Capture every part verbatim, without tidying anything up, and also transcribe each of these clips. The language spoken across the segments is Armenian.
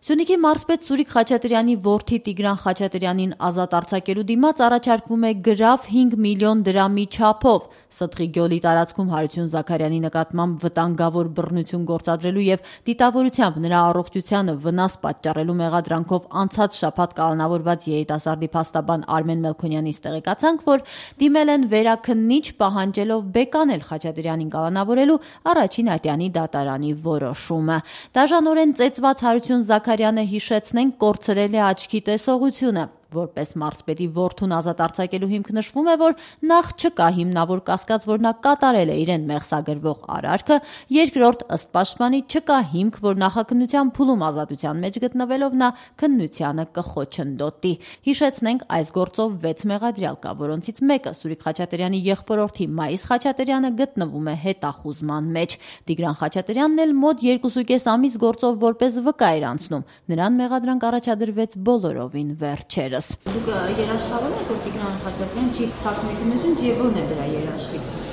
Սյունիքի մարզպետ Սուրիկ Խաչատրյանի որդի Տիգրան Խաչատրյանին ազատ արձակելու դիմաց առաջարկվում է գրավ հինգ միլիոն դրամի չափով Ստղի գյուղի տարածքում Հարություն Զաքարյանի նկատմամբ վտանգավոր բռնություն գործադրելու եւ դիտավորությամբ նրա առողջությանը վնաս պատճառելու մեղադրանքով անցած շաբաթ կալանավորված երիտասարդի փաստաբան Արմեն Մելքոնյանից տեղեկացանք, որ դիմել են վերաքննիչ պահանջելով բեկանել Խաչատրյանին կալանավորելու առաջին ատյանի դատարանի որոշումը։ Դաժանորեն ծեծված Հարություն Զաքարյանը հիշեցնենք կորցրել է աչքի տեսողությունը։ Որպես մարզպետի որդուն ազատ արձակելու հիմք նշվում է, որ նախ չկա հիմնավոր կասկած, որ նա կատարել է իրեն մեղսագրվող արարքը, երկրորդ ըստ պաշտպանի չկա հիմք, որ նախաքննության փուլում ազատության մեջ գտնվելով նա քննությանը կխոչընդոտի։ Հիշեցնենք, այս գործով վեց մեղադրյալ կա, որոնցից մեկը Սուրիկ Խաչատրյանի եղբորորդի Մայիս Խաչատրյանը գտնվում է հետախուզման մեջ։ Տիգրան Խաչատրյանն էլ մոտ երկուսուկես ամիս գործով որպես վկա էր անցնում։ Նրան մեղադրանք առաջադրվեց բոլորովին վերջերս։ Դուք երաշխավորում եք, որ Տիգրան Խաչատրյանը չի թաքցնում քննությունից եւ ո՞րն է դրա երաշխիքը։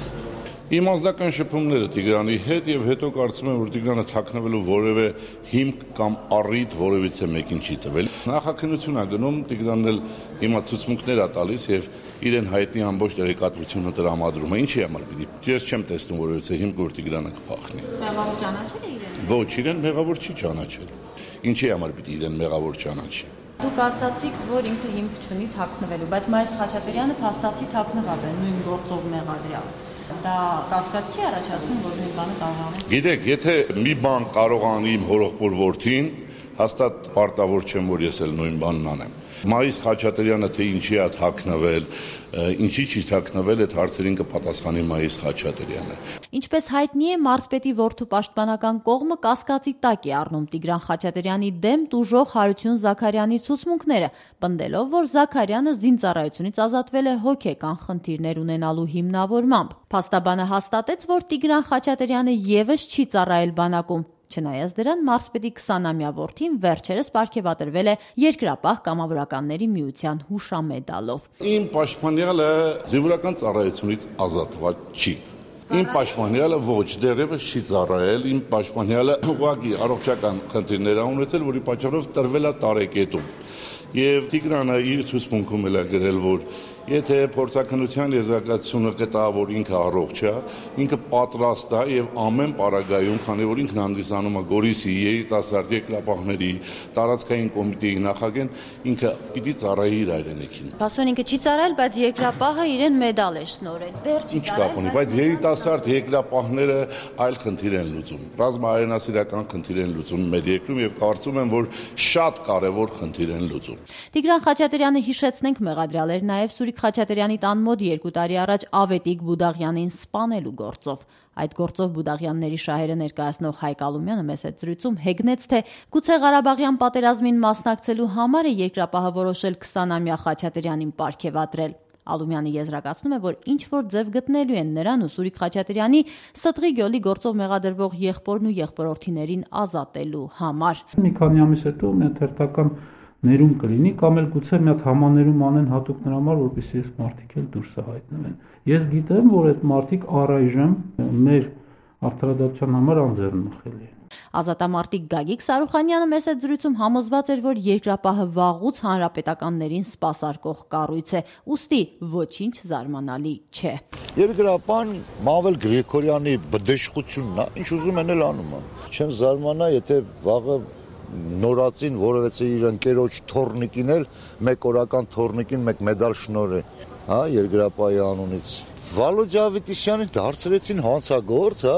Իմ անձնական շփումները Տիգրանի հետ եւ հետո կարծում եմ, որ Տիգրանը թաքնվելու որևէ հիմք կամ առիթ որևիցե մեկին չի տվել։ Նախաքննություն է գնում, Տիգրանն էլ հիմա ցուցմունքներ է տալիս եւ իրեն հայտնի ամբողջ տեղեկատվությունը տրամադրում է։ Ինչի համար պիտի։ Ես չեմ տեսնում որևիցե հիմք, որ Տիգրանը կփախնի։ Մեղավոր ճանաչել է իրեն։ Ոչ, իրեն մեղավոր չի ճանաչել։ Ինչի համար պիտի իրեն մեղավոր ճանաչի։ Դուք ասացիք, որ ինքը հիմք չունի թաքնվելու, բայց Մայիս Խաչատրյանը փաստացի թաքնված է նույն գործով մեղադրյալ։ Դա կասկած չի առաջացնում, որ նույն բանը կարող է։ Գիտեք, եթե մի բան կարող անի իմ հորեղբոր որդին, հաստատ պարտավոր չեմ, որ ես էլ նույն բանն անեմ։ Մայիս Խաչատրյանը թե ինչի է թաքնվել, ինչի չի թաքնվել, այդ հարցերին կպատասխանի Մայիս Խաչատրյանը։ Ինչպես հայտնի է, մարզպետի որդու պաշտպանական կողմը կասկածի տակ է առնում Տիգրան Խաչատրյանի դեմ տուժող Հարություն Զաքարյանի ցուցմունքները, պնդելով, որ Զաքարյանը զինծառայությունից ազատվել է հոգեկան խնդիրներ ունենալու հիմնավորմամբ։ Փաստաբանը հաստատեց, որ Տիգրան Խաչատրյանը եւս չի ծառայել բանակում։ Չնայած դրան, մարզպետի քսանամյա որդին վերջերս պարգևատրվել է Երկրապահ կամավորականների միության հուշամեդալով։ Իմ պաշտպանյալը զինվորական ծառայությունից ազատված չի։ Իմ պաշտպանյալը ոչ, դեռևս չի ծառայել, իմ պաշտպանյալը ուղղակի առողջական խնդիրներ ա ունեցել, որի պատճառով տրվել է տարեկետում։ Եվ Տիգրանը իր ցուցմունքում էլ է գրել, որ եթե փորձաքննության եզրակացությունը կտա, որ ինքը առողջ է, ինքը պատրաստ է եւ ամեն պարագայում, քանի որ ինքն հանդիսանում է Գորիսի երիտասարդ երկրապահների տարածքային կոմիտեի նախագահ, ինքը պիտի ծառայի իր հայրենիքին։ Փաստորեն ինքը չի ծառայել, բայց երկրապահը իրեն մեդալ է շնորհել։ Դեռ չի ծառայել։ Ինչ կապ ունի, բայց երիտասարդ երկրապահները այլ խնդիր են լուծում։ Ռազմահայրենասիրական խնդիր են լուծում մեր երկրում եւ կարծում եմ, որ շատ կարեւոր խնդիր են լուծում։ Տիգրան Խաչատրյանը հիշեցնենք մեղադրյալ էր նաև Սուրիկ Խաչատրյանի տան մոտ երկու տարի առաջ Ավետիք Բուդաղյանին սպանելու գործով։ Այդ գործով Բուդաղյանների շահերը ներկայացնող Հայկ Ալումյանը մեծ զրույցում հեգնեց, թե գուցե Ղարաբաղյան պատերազմին մասնակցելու համար է երկրապահը որոշել քսանամյա Խաչատրյանին պարգևատրել։ Ալումյանը եզրակացնում է, որ ինչ որ ձև գտնելու են նրան ու Սուրիկ Խաչատրյանի Ստղի գյուղի գործով մեղադրվող եղբորն ու եղբորորդիներին ազատելու համար։ Մի քանի ամիս հետո մի թերթական ներում կլինի կամ էլ գուցե մի հատ համաներում անեն հատուկ նրա համար, որպեսզի այս մարդիկ էլ դուրս հայտնվեն։ Ես գիտեմ, որ այդ մարդիկ առայժմ մեր արդարադատության համար անձեռնմխելի են։ Ազատամարտիկ Գագիկ Սարուխանյանը մեծ զրույցում համոզված էր, որ երկրապահը վաղուց հանրապետականներին սպասարկող կառույց է, ուստի ոչինչ զարմանալի չէ։ Երկրապահն Մավել Գրիգորյանի բդեշխությունն է, ինչ ուզում են էլ անում են։ Չեմ զարմանա, եթե վաղը նորածին որևէ իր ընկերոջ թորնիկին էլ մեկ օրական թորնիկին մեկ մեդալ շնորհե, հա, երկրապահի անունից։ Վալոդյա Ավետիսյանին դարձրեցին հանցագործ, հա,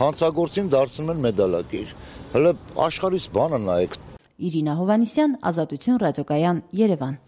հանցագործին դարձնում են մեդալակիր։ Հələ աշխարհիս բանը նայեք։ Իրինա Հովանիսյան, Ազատություն ռադիոկայան, Երևան։